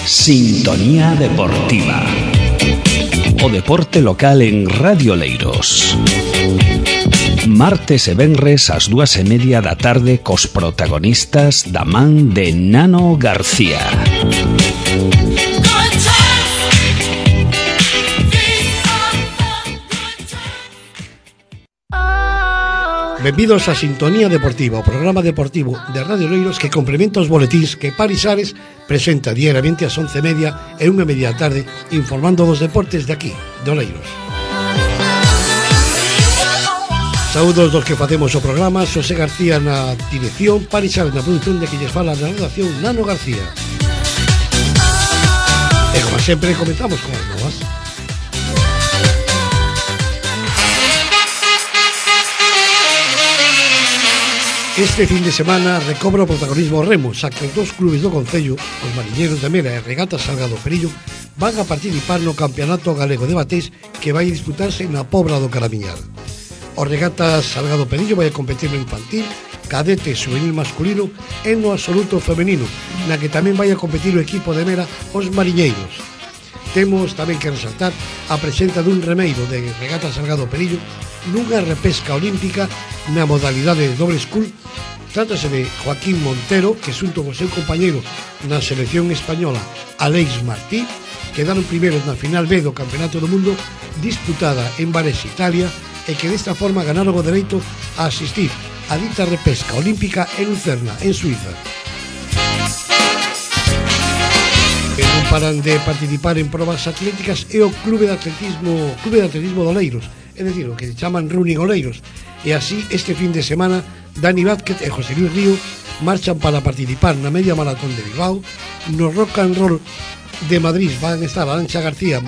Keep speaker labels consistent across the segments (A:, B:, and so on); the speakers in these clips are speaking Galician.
A: Sintonía Deportiva. O deporte local en Radio Oleiros. Martes e venres ás 2:30 da tarde cos protagonistas da man de Nano García.
B: Benvidos a Sintonía Deportiva, o programa deportivo de Radio Oleiros que complementa os boletíns que Paris Ares presenta diariamente ás 11:30 e 1:30 da tarde, informando dos deportes de aquí, de Oleiros. Saúdos dos que facemos o programa, Xosé García na dirección, Paris Ares na produción, de que lles fala na redacción Nano García. E como sempre, comentamos con as novas. Este fin de semana recobra o protagonismo o remo, xa que os dos clubes do concello, os Mariñeiros de Mera e Regatas Salgado Perillo, van a participar no Campeonato Galego de Bateis que vai disputarse na Pobra do Caramiñal. Os Regatas Salgado Perillo vai a competir no infantil, cadete e juvenil masculino e no absoluto femenino, na que tamén vai a competir o equipo de Mera, os Mariñeiros. Temos tamén que resaltar a presenza dun remeiro de Regatas Salgado Perillo nunha repesca olímpica na modalidade de doble school. Trátase de Joaquín Montero, que xunto co seu compañeiro na selección española Aleix Martí quedaron primeiros na final B do Campeonato do Mundo disputada en Varese, Italia, e que desta forma ganaron o dereito a asistir a dita repesca olímpica en Lucerna, en Suiza. E non paran de participar en probas atléticas e o Clube de Atletismo de Oleiros, é dicir, o que se chaman Running Oleiros. E así, este fin de semana, Dani Vázquez e José Luis Río marchan para participar na media maratón de Bilbao. No Rock and Roll de Madrid van a estar Arantxa García,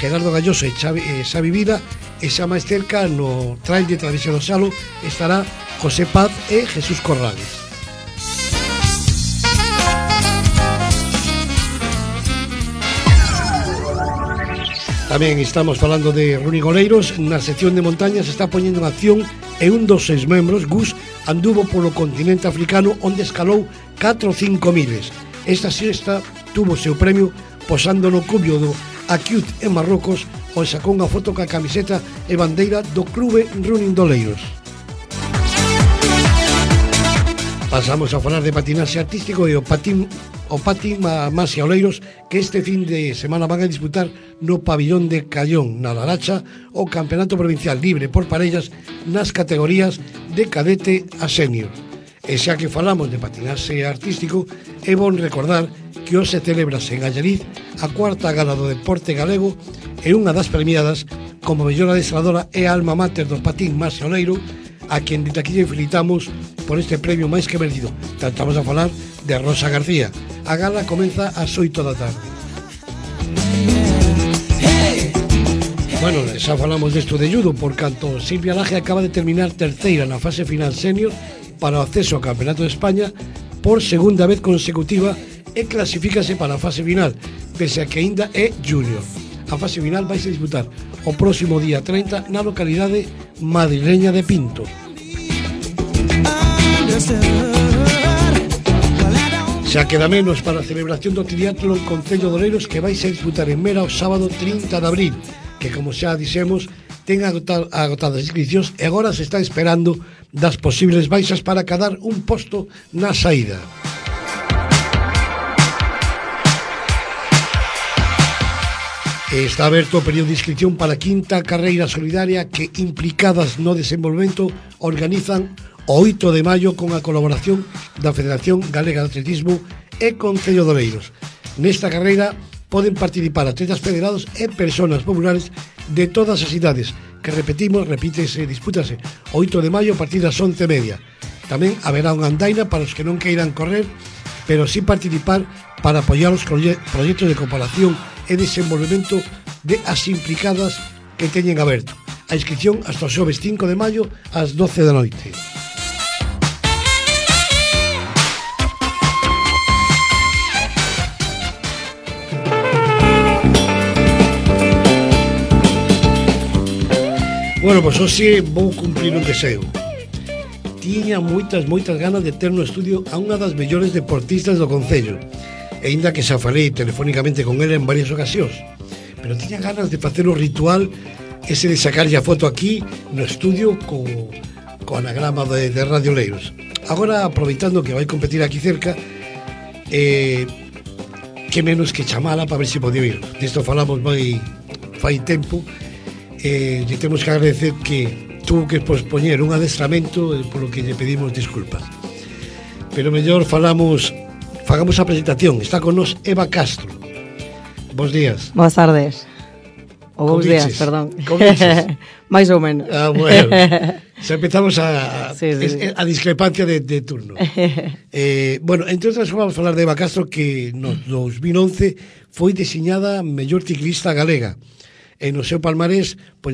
B: Gerardo Galloso e Xavi Vida, e xa máis cerca no Trail de Travesía do Salo estará José Paz e Jesús Corrales. Tamén estamos falando de Running Oleiros. Na sección de montañas se está poñendo en acción e un dos seis membros, Gus, anduvo polo continente africano onde escalou 4 ou 5 miles. Esta sexta tuvo seu premio posando no cubio do Acute en Marrocos, onde sacou unha foto ca camiseta e bandeira do Clube Running de Oleiros. Pasamos a falar de patinaxe artístico e o patín Masia Oleiros, que este fin de semana van a disputar no pabillón de Callón, na Laracha, o Campeonato Provincial Libre por parellas nas categorías de cadete a senior. E xa que falamos de patinaxe artístico, é bon recordar que hoxe celebrase en Allariz a cuarta gala do deporte galego e unha das premiadas como mellor adestradora é a alma mater do patín Masia Oleiro, a quen desde aquí lle felicitamos por este premio máis que merecido. Estamos a falar de Rosa García. A gala comeza ás 8 da tarde. Bueno, xa falamos desto de judo, por canto Silvia Laje acaba de terminar terceira na fase final senior para o acceso ao Campeonato de España por segunda vez consecutiva e clasifícase para a fase final, pese a que ainda é junior. A fase final vai se disputar o próximo día 30 na localidade madrileña de Pinto. Xa queda menos para a celebración do triatlón Concello de Oleiros, que vai se disputar en Mera o sábado 30 de abril, que, como xa dixemos, ten agotadas as inscripcións e agora se está esperando das posibles baixas para cadar un posto na saída. Está aberto o período de inscripción para a quinta carreira solidaria que Implicadas no Desenvolvemento organizan o 8 de maio con a colaboración da Federación Galega de Atletismo e Concello de Oleiros. Nesta carreira poden participar atletas federados e persoas populares de todas as idades, que dispútase o 8 de maio a partir das 11:30. Tamén haberá unha andaina para os que non queiran correr, pero sí participar para apoiar os proxectos de comparación e desenvolvemento de as implicadas que teñen aberto. A inscripción hasta o xoves 5 de maio ás 12 da noite. Bueno, pois hoxe vou cumplir un deseo. tiña moitas ganas de ter no estudio a unha das mellores deportistas do concello, e aínda que xa falei telefónicamente con ela en varias ocasións, pero tiña ganas de facer o ritual ese de sacarlle a foto aquí no estudio co anagrama de Radio Leiros. Agora, aproveitando que vai competir aquí cerca, que menos que chamala para ver se podía ir. Disto falamos fai tempo, lle temos que agradecer que tuvo que pospoñer un adestramento, polo que lle pedimos disculpas. Pero mellor fagamos a presentación. Está con nos Eva Castro. Bos días.
C: Boas tardes. Ou bons días, perdón. Mais ou menos.
B: Bueno. Xa empezamos a discrepancia de turno. Bueno, entre outras vamos a falar de Eva Castro, que no 2011 foi designada mellor ciclista galega. E no seu palmarés, pois,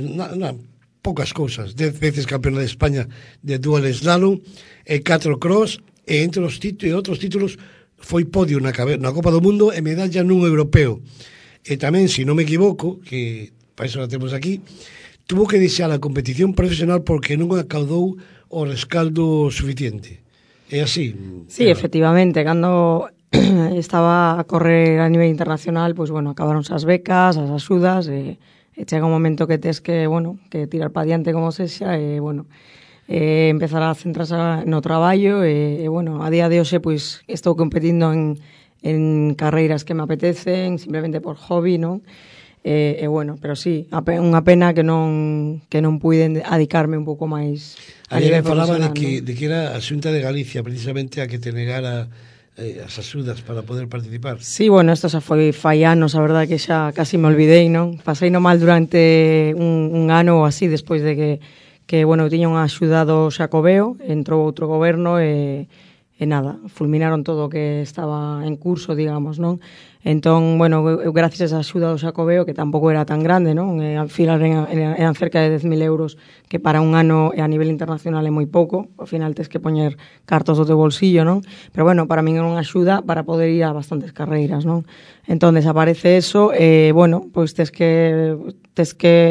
B: poucas cousas. 10 veces campeona de España de dual slalom, e 4 cross, e entre os outros títulos foi podio na Copa do Mundo e medalla nun europeo. E tamén, se non me equivoco, que para iso la temos aquí, tuvo que deixar a competición profesional porque non acaudou o rescaldo suficiente. É así?
C: Sí, efectivamente, cando estaba a correr a nivel internacional, pois, bueno, acabaronse as becas, as axudas, e chega un momento que tes que, bueno, que tirar pa diante como sexa, e, bueno, empezar a centrarse no traballo, e, bueno, a día de hoxe, pois, estou competindo en carreiras que me apetecen, simplemente por hobby, non? E bueno, pero sí, unha pena que non puiden adicarme un pouco máis a nivel profesional.
B: Falaba de que era a Xunta de Galicia precisamente a que te negara as axudas para poder participar.
C: Sí, bueno, isto xa foi fai anos, a verdade que xa casi me olvidei, non? Pasei no mal durante un ano ou así, despois de que bueno, tiña unha axuda do Xacobeo, entrou outro goberno e nada, fulminaron todo o que estaba en curso, digamos, non? Entón, bueno, eu gracias a esa axuda do Xacobeo, que tampouco era tan grande, non? Al final eran cerca de 10.000 euros, que para un ano a nivel internacional é moi pouco, ao final tes que poñer cartos do teu bolsillo, non? Pero bueno, para min era unha axuda para poder ir a bastantes carreiras, non? Entón, desaparece eso, e bueno, pois tes que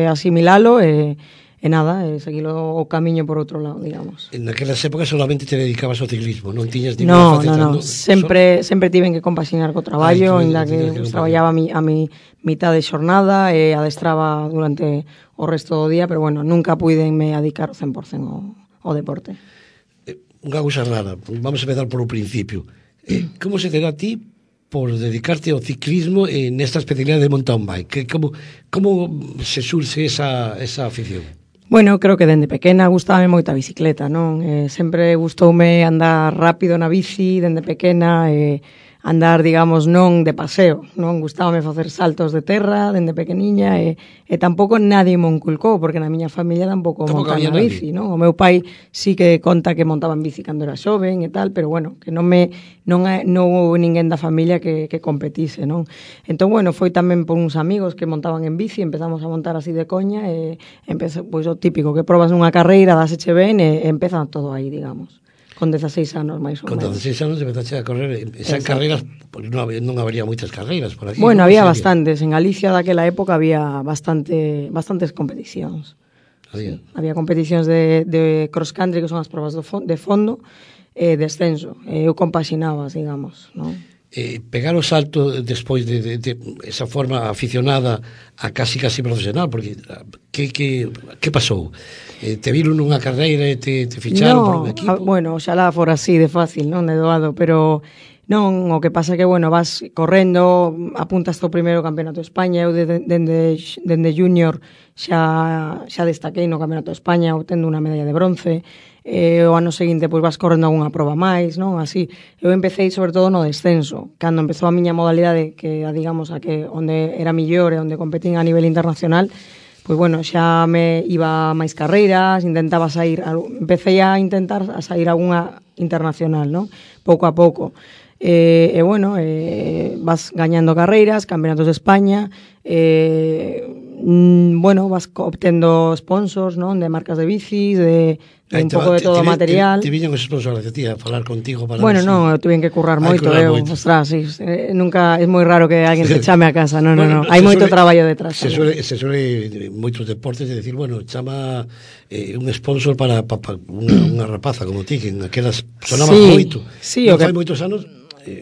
C: asimilalo, e nada, seguilo o camiño por outro lado, digamos.
B: En aquelas épocas solamente te dedicabas ao ciclismo, non tiñas
C: ninguna faceta? No, sempre tiven que compaxinar co traballo, en la que traballaba a mi mitad de xornada e adestraba durante o resto do día, pero bueno, nunca puidenme dedicar 100% ao deporte.
B: Unha cousa rara, vamos a empezar por o principio. Como se te dá a ti por dedicarte ao ciclismo nesta especialidade de mountain bike? Como se surxe esa afición?
C: Bueno, creo que dende pequena gustábame moito a bicicleta, non? Sempre gustoume andar rápido na bici, dende pequena, andar, digamos, non de paseo, non? Gustábame facer saltos de terra dende pequeniña, e tampouco nadie me inculcou, porque na miña familia tampouco montan na bici, non? O meu pai sí que conta que montaba en bici cando era xoven e tal, pero bueno, que non houve ninguén da familia que competise, non? Entón, bueno, foi tamén por uns amigos que montaban en bici, empezamos a montar así de coña, e pois o típico, que probas nunha carreira, dáseche ben, e empeza todo aí, digamos. Con 16 anos, máis ou menos.
B: Con 16 anos empezaste a correr. Esas carreiras, pues non habría moitas carreiras por aquí.
C: Bueno, había bastantes. En Galicia daquela época había bastantes competicións. Había competicións de cross country, que son as probas de fondo, e descenso. Eu compaxinaba, digamos, non?
B: Pegar o salto despois de esa forma aficionada a casi profesional, porque que pasou? Te viron nunha carreira e te ficharon por un equipo?
C: Bueno, xalá fora así de fácil, non, de doado, pero non, o que pasa que, bueno, vas correndo, apuntas ao primeiro campeonato de España, eu dende junior xa destaquei no campeonato de España, obtendo unha medalla de bronce, o ano seguinte pois vas correndo algunha proba máis, non? Así, eu empecé sobre todo no descenso, cando empezou a miña modalidade, que digamos a que onde era millor e onde competín a nivel internacional, pois bueno, xa me iba máis carreiras, empecé a intentar sair algunha internacional, non? Pouco a pouco. E bueno, vas gañando carreiras, campeonatos de España, Bueno, vas obtendo sponsors, non? De marcas de bicis, de un pouco de todo o material.
B: Te viñan os sponsors de ti a falar contigo para...
C: Bueno, non, eu tuve que currar moito, ostras, sí, nunca, é moi raro que alguén te chame a casa, non, hai moito traballo detrás.
B: Se suele moitos deportes de decir, bueno, chama un sponsor para unha rapaza como ti, que en aquelas sonabas moito.
C: Sí,
B: non fai moitos anos,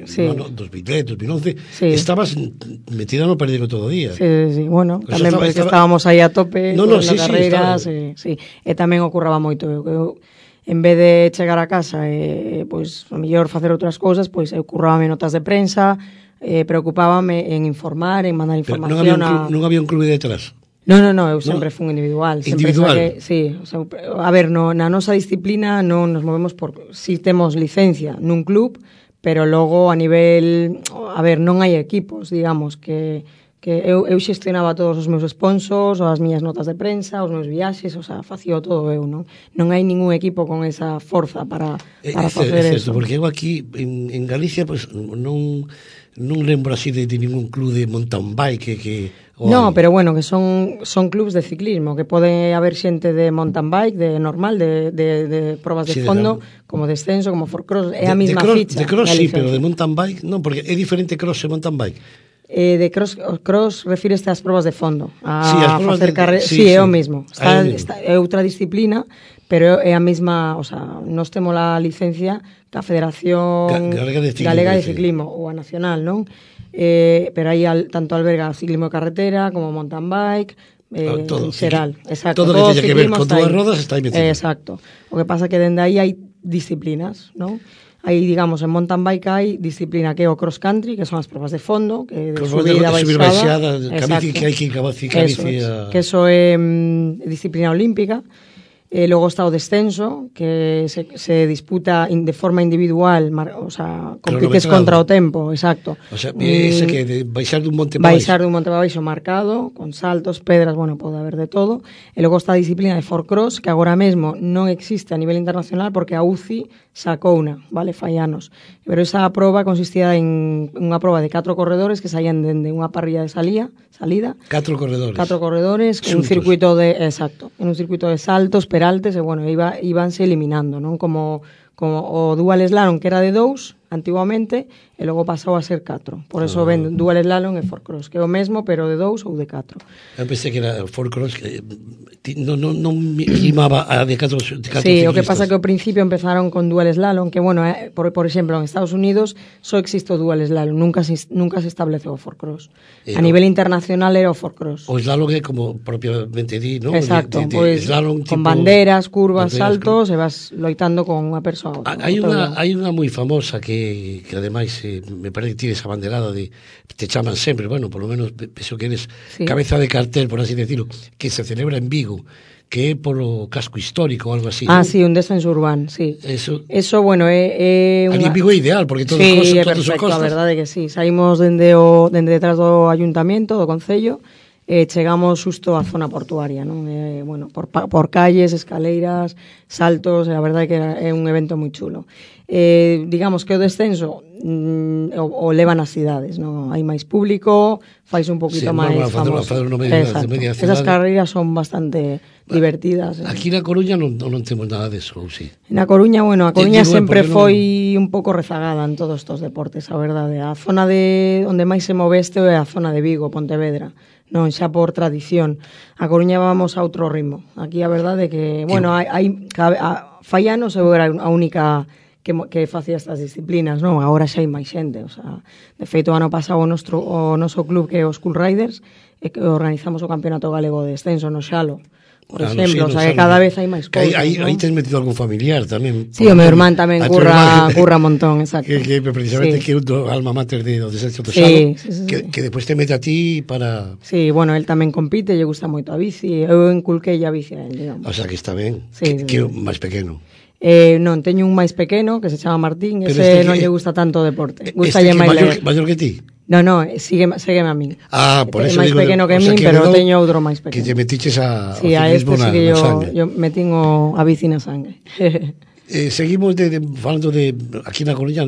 C: sí.
B: No, 2010, 2011,
C: sí.
B: Estabas metida no perdido todo o día.
C: Sí, bueno, pues tamén porque estábamos aí a tope
B: na
C: carreira, sí. E tamén ocurraba moito, eu en vez de chegar a casa e pois a mellor facer outras cousas, pois eu currábame notas de prensa, preocupábame en informar, en mandar información.
B: Non había un clube detrás?
C: Non, eu sempre fui individual.
B: Individual?
C: Sí, a ver, na nosa disciplina non nos movemos si temos licencia nun club, pero logo a nivel, a ver, non hai equipos, digamos, que eu xestionaba todos os meus sponsors, as miñas notas de prensa, os meus viaxes, o sea, facía todo eu, non? Non hai ningún equipo con esa forza para facer eso.
B: Porque eu aquí, en Galicia, pues, non lembro así de ningún club de mountain bike que
C: no, pero bueno, que son clubs de ciclismo, que pode haber xente de mountain bike, de normal, de probas de fondo, como descenso, como for cross, é a mesma ficha.
B: De cross sí, pero de mountain bike non, porque é diferente cross e mountain bike.
C: De cross refíreste ás probas de fondo,
B: a
C: facer carreira, sí, é o mesmo. É outra disciplina, pero é a mesma, o sea, nós temos a licencia da Federación Galega de Ciclismo ou a nacional, non? Pero aí tanto alberga ciclismo de carretera como mountain bike,
B: todo,
C: xeral, exacto.
B: Todo que teña que ver con todas as rodas está aí metido.
C: Exacto. O que pasa que dende aí hai disciplinas, non? Aí, digamos, en mountain bike hai disciplina que é o cross country, que son as probas de fondo, que de subida, baixada,
B: que hai que
C: que eso é disciplina olímpica. Logo está o descenso, que se disputa de forma individual, o sea, compites contra o tempo, exacto.
B: O sea, ese que de baixar dun monte
C: para baixo. Baixar dun monte para baixo marcado, con saltos, pedras, bueno, pode haber de todo. E logo está a disciplina de four cross, que agora mesmo non existe a nivel internacional porque a UCI sacou unha, vale, fai anos. Pero esa proba consistía en unha proba de 4 corredores que saían dende unha parrilla de salida.
B: 4 corredores.
C: 4 corredores, en un circuito en un circuito de saltos, peraltes, e bueno, íbanse eliminando, non? Como o dual slalom, que era de 2 antiguamente, e logo pasou a ser 4. Por eso ven dual slalom e four cross, que é o mesmo, pero de 2 ou de 4.
B: Eu pensei que era four cross, que non limaba a de 4
C: Sí, o que pasa que ao principio empezaron con dual slalom, que bueno, por exemplo, en Estados Unidos só existe o dual slalom, nunca se estableceu o four cross. A nivel internacional era o four cross.
B: O slalom é como propiamente di, non?
C: Exacto, pois con banderas, curvas, saltos, e vas loitando con unha persoa.
B: Hai unha moi famosa que ademais me parece que tires a banderada de te chaman sempre, bueno, por lo menos penso que eres cabeza de cartel, por así decirlo, que se celebra en Vigo, que é polo casco histórico ou algo así.
C: Sí, un descenso urbano, sí.
B: Eso
C: bueno, é
B: unha... Ali en Vigo é ideal, porque todos
C: todos
B: son
C: costas. A verdade que sí, saímos dende detrás do ayuntamiento, do concello, chegamos xusto á zona portuaria, non? Bueno, por calles, escaleiras, saltos, a verdade que é un evento moi chulo. Digamos que o descenso o levan as cidades, non? Hai máis público, fais un poquito máis famoso. Esas carreiras son bastante divertidas.
B: Aquí na Coruña non temos nada deso, ou si?
C: Na Coruña, bueno, a Coruña sempre foi un pouco rezagada en todos estos deportes, a verdade. A zona onde máis se move isto é a zona de Vigo, Pontevedra. Non, xa por tradición. A Coruña vamos a outro ritmo. Aquí a verdade é que, bueno, fai anos eu era a única que facía estas disciplinas, non? Agora xa hai máis xente, o sea, de feito, ano pasado o noso club, que é os Cool Riders, que organizamos o Campeonato Galego de Descenso no Xalo, por exemplo, o sea, que cada vez hai máis cousas.
B: Aí tes metido algún familiar tamén.
C: Sí, o meu irmán tamén curra montón, exacto.
B: Que precisamente que é o alma mater do Descenso do Xalo, que despois te mete a ti para...
C: Sí, bueno, el tamén compite, lle gusta moito a bici, eu enculquei a bici a él, digamos.
B: O sea, que está ben, que é o máis pequeno.
C: Non, teño un máis pequeno que se chama Martín, ese non lle gusta tanto o deporte. Gusta lle máis ler.
B: Maior que ti?
C: No, sígueme a min.
B: Por eso
C: máis pequeno que min, pero teño outro máis pequeno.
B: Que lle metiches
C: a ciclismo na sangue. Yo metín a bici na sangue.
B: Seguimos falando de aquí na Coruña,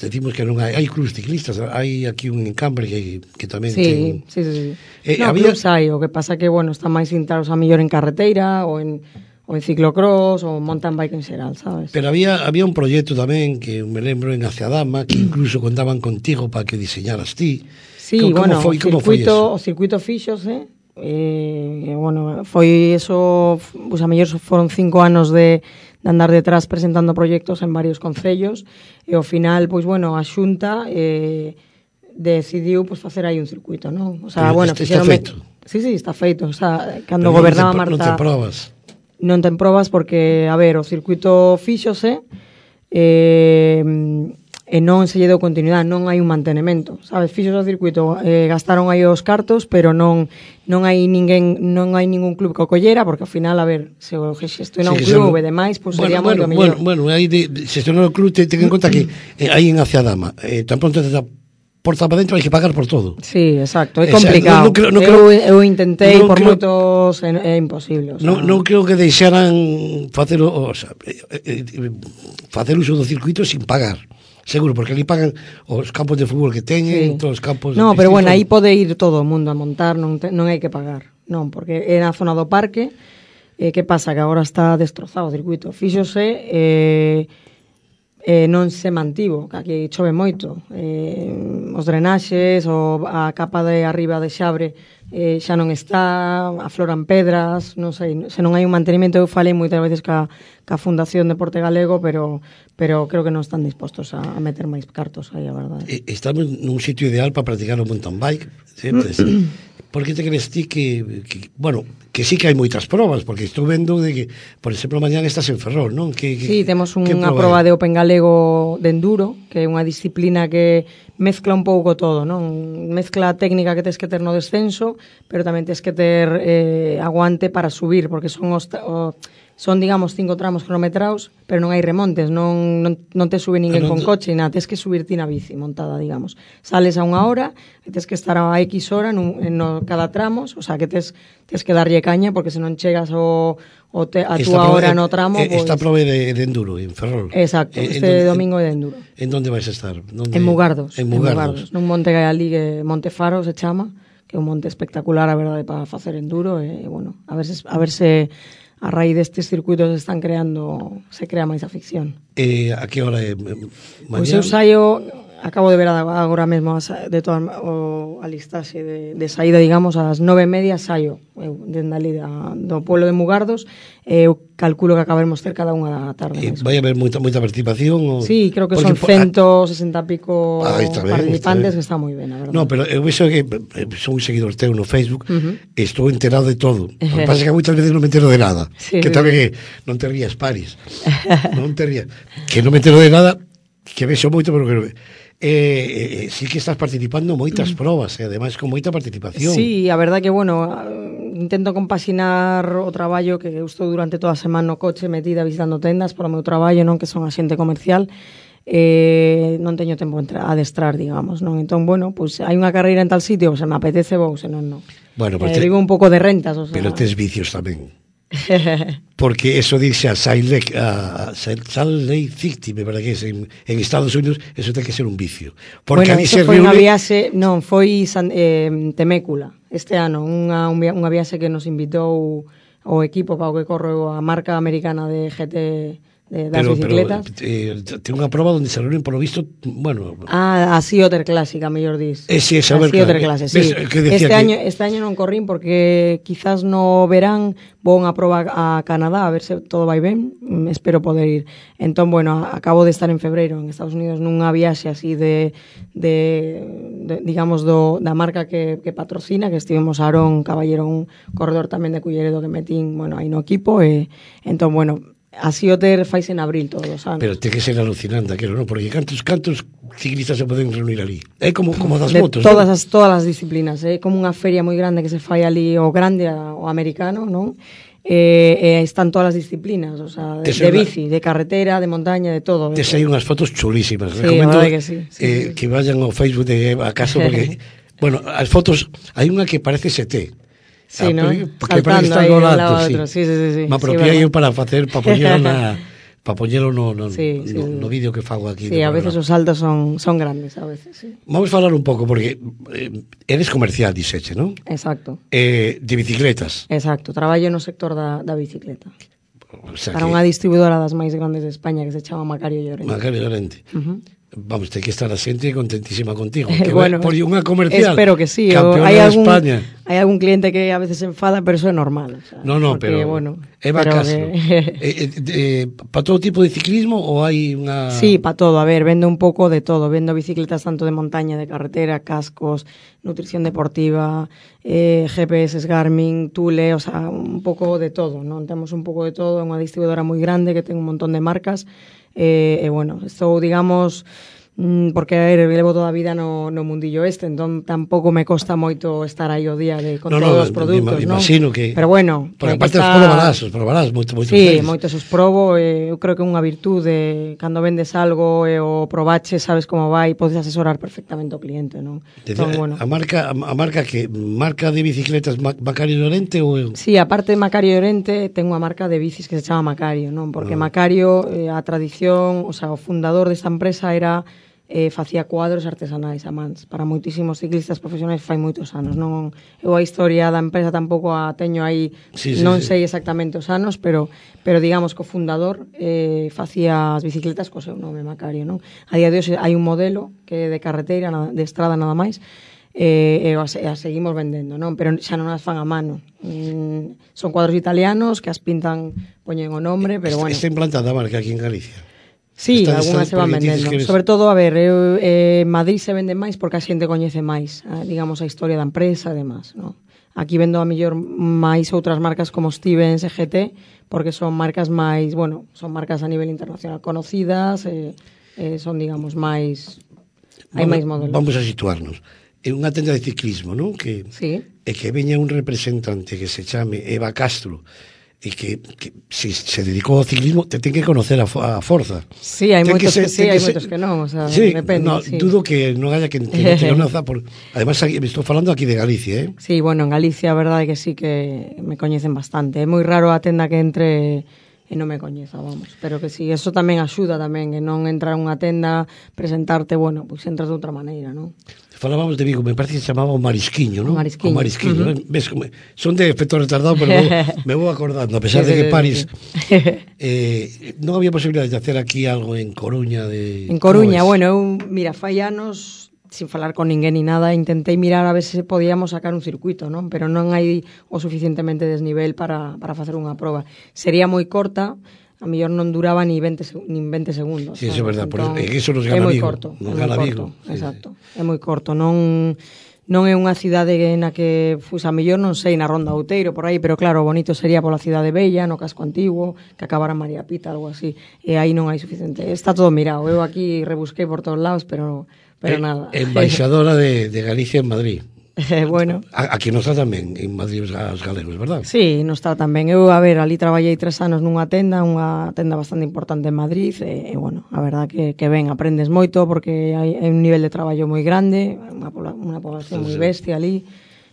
B: decimos que non hai clubs ciclistas, hai aquí un encambre que tamén
C: sí,
B: ten...
C: sí. Clubs hai, o que pasa que, bueno, están máis centrados a mellor en carreteira ou en ciclocross ou mountain bike en xeral, sabes?
B: Pero había un proxecto tamén que me lembro en Aciadama, que incluso contaban contigo para que diseñaras ti.
C: Sí,
B: como foi eso?
C: O circuito fíxose, bueno, foi eso, pues a mellor foron 5 anos de andar detrás presentando proxectos en varios concellos e ao final, pois bueno, a Xunta decidiu pois facer aí un circuito, non? O sea, bueno,
B: está feito.
C: Sí, está feito, o sea, cando gobernaba Marta...
B: Non te probas.
C: Non ten probas porque, a ver, o circuito fíxose e non se lle deu continuidade, non hai un mantenimento, sabes? Fixos o circuito, gastaron aí os cartos, pero non hai ningún club que o collera, porque ao final, a ver, se o xestiona un club e demais, pois sería moito mellor.
B: Bueno, aí de xestionar o club, ten en conta que aí en Aciadama, tan pronto te porta para dentro hai que pagar por todo.
C: Sí, exacto, é complicado. Eu intentei por moitos, é imposible. O sea,
B: non creo que deixaran facer uso do circuito sin pagar. Seguro, porque ali pagan os campos de fútbol que teñen, todos os campos...
C: No, pero bueno, aí pode ir todo o mundo a montar, non hai que pagar. Non, porque é na zona do parque, que pasa? Que agora está destrozado o circuito. Fíxose, non se mantivo, que aquí chove moito. Os drenaxes, a capa de arriba de xabre xa non está, afloran pedras, non sei, se non hai un mantenimento. Eu falei moitas veces ca Fundación Deporte Galego, pero creo que non están dispostos a meter máis cartos aí, a verdade.
B: Estamos nun sitio ideal para practicar o mountain bike, sempre. Por que te crees ti que bueno, que sí que hai moitas probas, porque estou vendo de que, por exemplo, mañán estás en Ferrol, non?
C: Sí, temos unha proba de Open Galego de enduro, que é unha disciplina que mezcla un pouco todo, non? Mezcla a técnica que tes que ter no descenso, pero tamén tes que ter aguante para subir, porque son digamos 5 tramos cronometrados, pero non hai remontes, non te sube ninguén con coche, nada, tes que subir ti na bici montada, digamos. Sales a 1 hora e tes que estar a X hora no cada tramos, o sea, que tes que darlle caña, porque se non chegas a túa hora no tramo...
B: Esta prova de enduro en Ferrol.
C: Exacto, domingo é de enduro.
B: En donde vais a estar?
C: En Mugardos.
B: En Mugardos.
C: Nun monte que hai ali, que Monte Faro se chama, que é un monte espectacular, a verdade, para facer enduro, e, bueno, a ver se a raíz destes circuitos se crea máis afición.
B: A que hora é?
C: Pois eu saio, acabo de ver agora mesmo a listaxe de saída, digamos, ás 9:30 saio, eu, dende ali do pueblo de Mugardos, eu calculo que acabaremos cerca da 1 da tarde.
B: Vai haber moita participación?
C: Sí, creo que son 160 pico participantes, que está moi ben, a verdade.
B: No, pero eu vexo que son un seguidor teu no Facebook, estou enterado de todo. O que pasa é que moitas veces non me entero de nada. Que tamén non te rías, Paris. Non te rías. Que non me entero de nada, que vexo moito, pero que sí que estás participando moitas probas, e ademais con moita participación.
C: Sí, a verdade que, bueno, intento compaxinar o traballo, que eu estou durante toda a semana no coche metida visitando tendas para o meu traballo, non, que son axente comercial, non teño tempo a adestrar, digamos, non? Entón, bueno, pues hai unha carreira en tal sitio, se me apetece vou, senón non.
B: Bueno, pues
C: vivo un pouco de rentas, o sea.
B: Pero tes vicios tamén. Porque eso dice a Salt Lake City, me parece que es en Estados Unidos, eso ten que ser un vicio. Porque
C: bueno, eso foi unha viaxe, non, foi Temécula, este ano, unha viaxe que nos invitou o equipo para o que corre a marca americana de GT das bicicletas.
B: Ten unha proba onde se reúnen, por lo visto, bueno...
C: a Sea Otter Classic, a mellor dis.
B: Sí, a Sea
C: Otter Classic, sí. Este año non corrín porque quizás no verán vou unha proba a Canadá, a ver se todo vai ben, espero poder ir. Entón, bueno, acabo de estar en febreiro en Estados Unidos nunha viaxe así de digamos, da marca que patrocina, que estivemos Aarón Caballero, un corredor tamén de Culleredo que metín, bueno, aí no equipo, e entón, bueno, así o ter fais en abril todos os anos.
B: Pero ten que ser alucinante aquilo, non? Porque cantos ciclistas se poden reunir ali? É como das motos,
C: todas as disciplinas, é como unha feria moi grande que se fai ali, o grande, o americano, non? Están todas as disciplinas, o sea, de bici, de carretera, de montaña, de todo.
B: Tes aí unhas fotos chulísimas.
C: Sí, recomiendo que sí.
B: Que vayan ao Facebook de acaso, porque, bueno, as fotos, hai unha que parece ST.
C: Sí, ¿no? Saltando aí un lado outro. Sí.
B: Me apropiei eu para poñer para poñelo no vídeo que fago aquí.
C: Sí, a veces os saltos son grandes, a veces, sí.
B: Vamos a falar un pouco, porque eres comercial, diseche, non?
C: Exacto.
B: De bicicletas.
C: Exacto, traballo no sector da bicicleta.
B: O sea
C: para unha distribuidora das máis grandes de España que se chama Macario Llorente.
B: Macario Llorente. Vamos, ten que estar a xente contentísima contigo. Que
C: bueno,
B: por unha comercial.
C: Espero que sí.
B: Campeona de España.
C: Hai algún cliente que a veces se enfada, pero eso é normal. O sea,
B: no,
C: porque,
B: pero
C: bueno,
B: Eva Castro. Para todo tipo de ciclismo ou hai unha...
C: Sí, para todo. A ver, vendo un pouco de todo. Vendo bicicletas tanto de montaña, de carretera, cascos, nutrición deportiva, GPS, Garmin, Thule, o sea, un pouco de todo, non? Temos un pouco de todo. É unha distribuidora moi grande que ten un montón de marcas. Bueno, estou, digamos, porque a ver, levo toda a vida no mundillo entón tampouco me costa moito estar aí o día con todos os produtos, non?
B: Imagino que...
C: Pero bueno...
B: Porque aparte os probarás moito.
C: Sí, moitos os probo, eu creo que é unha virtude, cando vendes algo e o probache, sabes como vai, podes asesorar perfectamente o cliente, non?
B: Entón, bueno. A marca que marca de bicicletas Macario Llorente ou...
C: Sí, aparte de Macario Llorente, ten unha marca de bicis que se chama Macario, non? Porque Macario, a tradición, o sea, o fundador desta empresa era... facía cuadros artesanais a mans para moitísimos ciclistas profesionais fai moitos anos, non? Eu a historia da empresa tampouco a teño aí, non sei exactamente os anos, pero digamos que o fundador facía as bicicletas co seu nome, Macario, non? A día de hoxe hai un modelo que é de carreteira, de estrada nada máis, e as seguimos vendendo, non? Pero xa non as fan a mano. Son cuadros italianos que as pintan, poñen o nombre, pero bueno.
B: Está implantada a marca aquí en Galicia.
C: Sí, algunhas se van vendendo. Sobre todo, a ver, Madrid se vende máis porque a xente coñece máis, digamos, a historia da empresa e demás, non? Aquí vendo a mellor máis outras marcas como Stevens e GT, porque son marcas máis, bueno, son marcas a nivel internacional conocidas, son, digamos, máis... hai máis modelos.
B: Vamos a situarnos. É unha tenda de ciclismo, non?
C: Sí.
B: E que veña un representante que se chame Eva Castro, e que se dedicou ao ciclismo te ten que conocer a forza.
C: Sí, hai moitos que sí, hai moitos que non, o sea,
B: sí,
C: depende.
B: No, sí. Dudo que non haya que non te conoza, además me estou falando aquí de Galicia, eh?
C: Sí, bueno, en Galicia a verdade é que sí que me coñecen bastante. É moi raro a tenda que entre e non me coñeza, vamos. Pero que sí, eso tamén axuda tamén, que non entrar a unha tenda, presentarte, bueno, pois entras de outra maneira, non?
B: Falábamos de Vigo, me parece que se chamaba o Marisquiño, non?
C: O Marisquiño.
B: Ves como son de efecto retardado, pero me vou acordando, a pesar de que París non había posibilidade de hacer aquí algo en Coruña
C: En Coruña, bueno, mira, fai anos sin falar con ninguén ni nada, intentei mirar a ver se podíamos sacar un circuito, non? Pero non hai o suficientemente desnivel para facer unha proba. Sería moi corta, a mellor non duraba ni 20 segundos.
B: Sí, eso é verdad, entón, eso nos gana Vigo. Nos gana Vigo.
C: Exacto, é moi corto. Non é unha cidade na que, a mellor non sei, na Ronda Outeiro, por aí, pero claro, bonito sería pola cidade bella, no casco antigo, que acabara María Pita, algo así, e aí non hai suficiente. Está todo mirado, eu aquí rebusquei por todos lados, pero nada.
B: Embaixadora de Galicia en Madrid.
C: Bueno.
B: Aquí nos está tamén en Madrid os galegos, verdad?
C: Sí, nos está tamén. Eu, a ver, ali traballei 3 anos unha tenda bastante importante en Madrid, e bueno, a verdad que ben, aprendes moito porque hai un nivel de traballo moi grande, unha población moi bestia ali,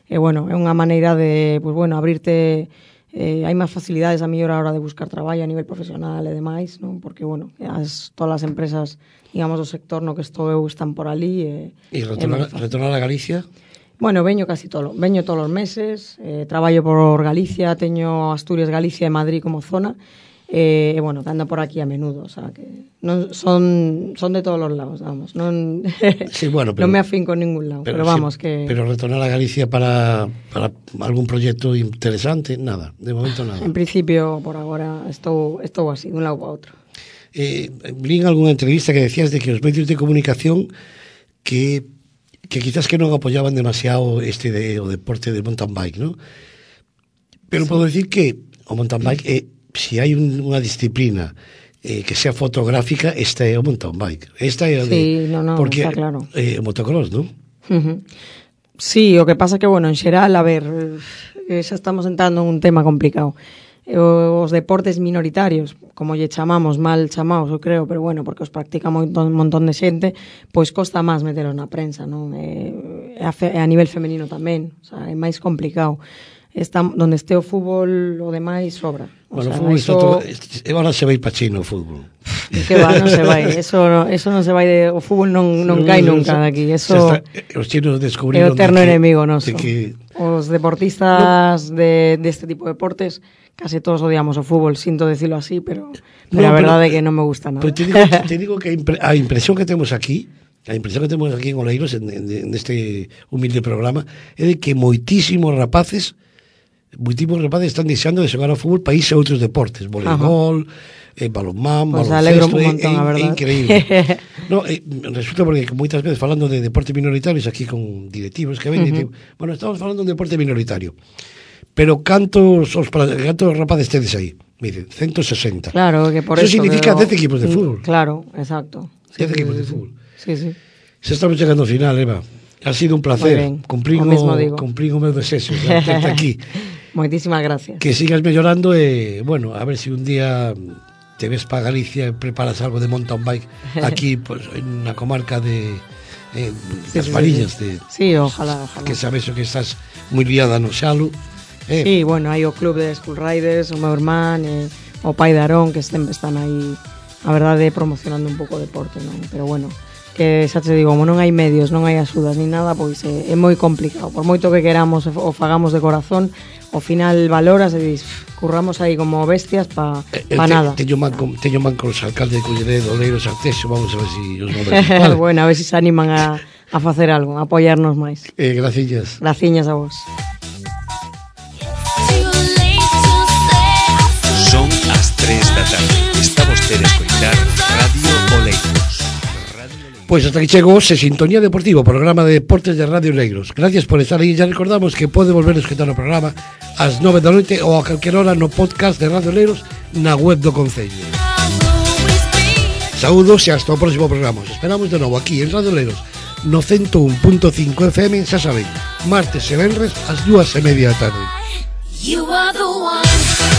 C: e bueno, é unha maneira de, pues bueno, abrirte, hai máis facilidades a mellor a hora de buscar traballo a nivel profesional e demais, non? Porque, bueno, todas as empresas, digamos, do sector no que estou eu están por ali.
B: E retornar a Galicia?
C: Bueno, veño todos os meses, traballo por Galicia, teño Asturias, Galicia e Madrid como zona, e bueno, ando por aquí a menudo, o sea, que non son de todos os lados, vamos, non
B: sí, bueno, pero,
C: non me afinco en ningún lado, pero vamos, sí, que...
B: Pero retornar a Galicia para algún proxecto interesante, nada, de momento nada.
C: En principio, por agora, estou así, dun lado para outro.
B: Vi en algunha entrevista que decías de que os medios de comunicación que quizás que non apoyaban demasiado o deporte de mountain bike, ¿no? Pero sí, podo decir que o mountain bike se hai unha disciplina que sea fotográfica, esta é o mountain bike. Esta é o
C: sí, porque está claro.
B: O motocross, ¿no?
C: Sí, o que pasa que, bueno, en xeral, a ver, xa estamos entrando en un tema complicado. Os deportes minoritarios, como lle chamamos, mal chamados, eu creo, pero bueno, porque os practica un montón de xente, pois costa máis metelos na prensa, non? A nivel femenino tamén, o sea, é máis complicado. está, donde esté o fútbol o demais sobra.
B: Bueno, o fútbol está todo, agora se vai pa China o fútbol.
C: Que va, non se vai, eso non se vai de, o fútbol non cae nunca daqui, eso
B: os chinos descubriron
C: é o eterno enemigo noso.
B: Que
C: os deportistas deste tipo de deportes case todos odiamos o fútbol, sinto decirlo así, pero a verdade é que non me gusta nada.
B: Pero te digo que a impresión que temos aquí en Oleiros, neste humilde programa, é de que moitísimos rapaces están deixando de xogar ao fútbol para irse a outros deportes, voleibol, balonmán,
C: pues
B: baloncesto,
C: é
B: increíble. No, resulta porque moitas veces falando de deportes minoritarios aquí con directivos que ven, bueno, estamos falando de un deporte minoritario, pero cantos rapaces tedes aí? Me dicen, 160.
C: Claro, que por
B: eso significa 10 equipos de fútbol.
C: Claro, exacto.
B: 10 equipos de fútbol.
C: Sí.
B: Se estamos chegando ao final, Eva. Ha sido un placer. Cumplir o meu desexo de aquí.
C: Moitísimas gracias.
B: Que sigas mellorando e, bueno, a ver se un día te ves para Galicia e preparas algo de mountain bike aquí, pues, na comarca de das Marillas.
C: Sí, ojalá.
B: Que sabes que estás moi liada no Xalo.
C: Sí, bueno, hai o club de School Riders, o meu irmán, o pai de Arón, que sempre están aí, a verdade, promocionando un pouco o deporte, non? Pero bueno, que xa te digo, como non hai medios, non hai axudas ni nada, pois é moi complicado. Por moito que queramos o fagamos de corazón, ao final valoras e dis, curramos aí como bestias pa nada.
B: Teño man con os alcaldes de Culleredo, Oleiros, Arteixo, vamos a ver si os movemos. Vale.
C: Bueno, a ver si se animan a facer algo, a apoiarnos máis.
B: Graciñas.
C: Graciñas a vos.
A: Son as 3 da tarde. Está vostede a escoitar Radio Oleiros.
B: Pois hasta aquí chegou Se Sintonía Deportivo, programa de deportes de Radio Oleiros. Gracias por estar aí. Ya recordamos que pode volver a escutar o programa ás 9 da noite ou a calquer hora no podcast de Radio Oleiros na web do Concello. Saúdos e hasta o próximo programa. Os esperamos de novo aquí en Radio Oleiros no 101.5 FM, xa saben, martes e venres ás 2:30 da tarde.
D: You are the one.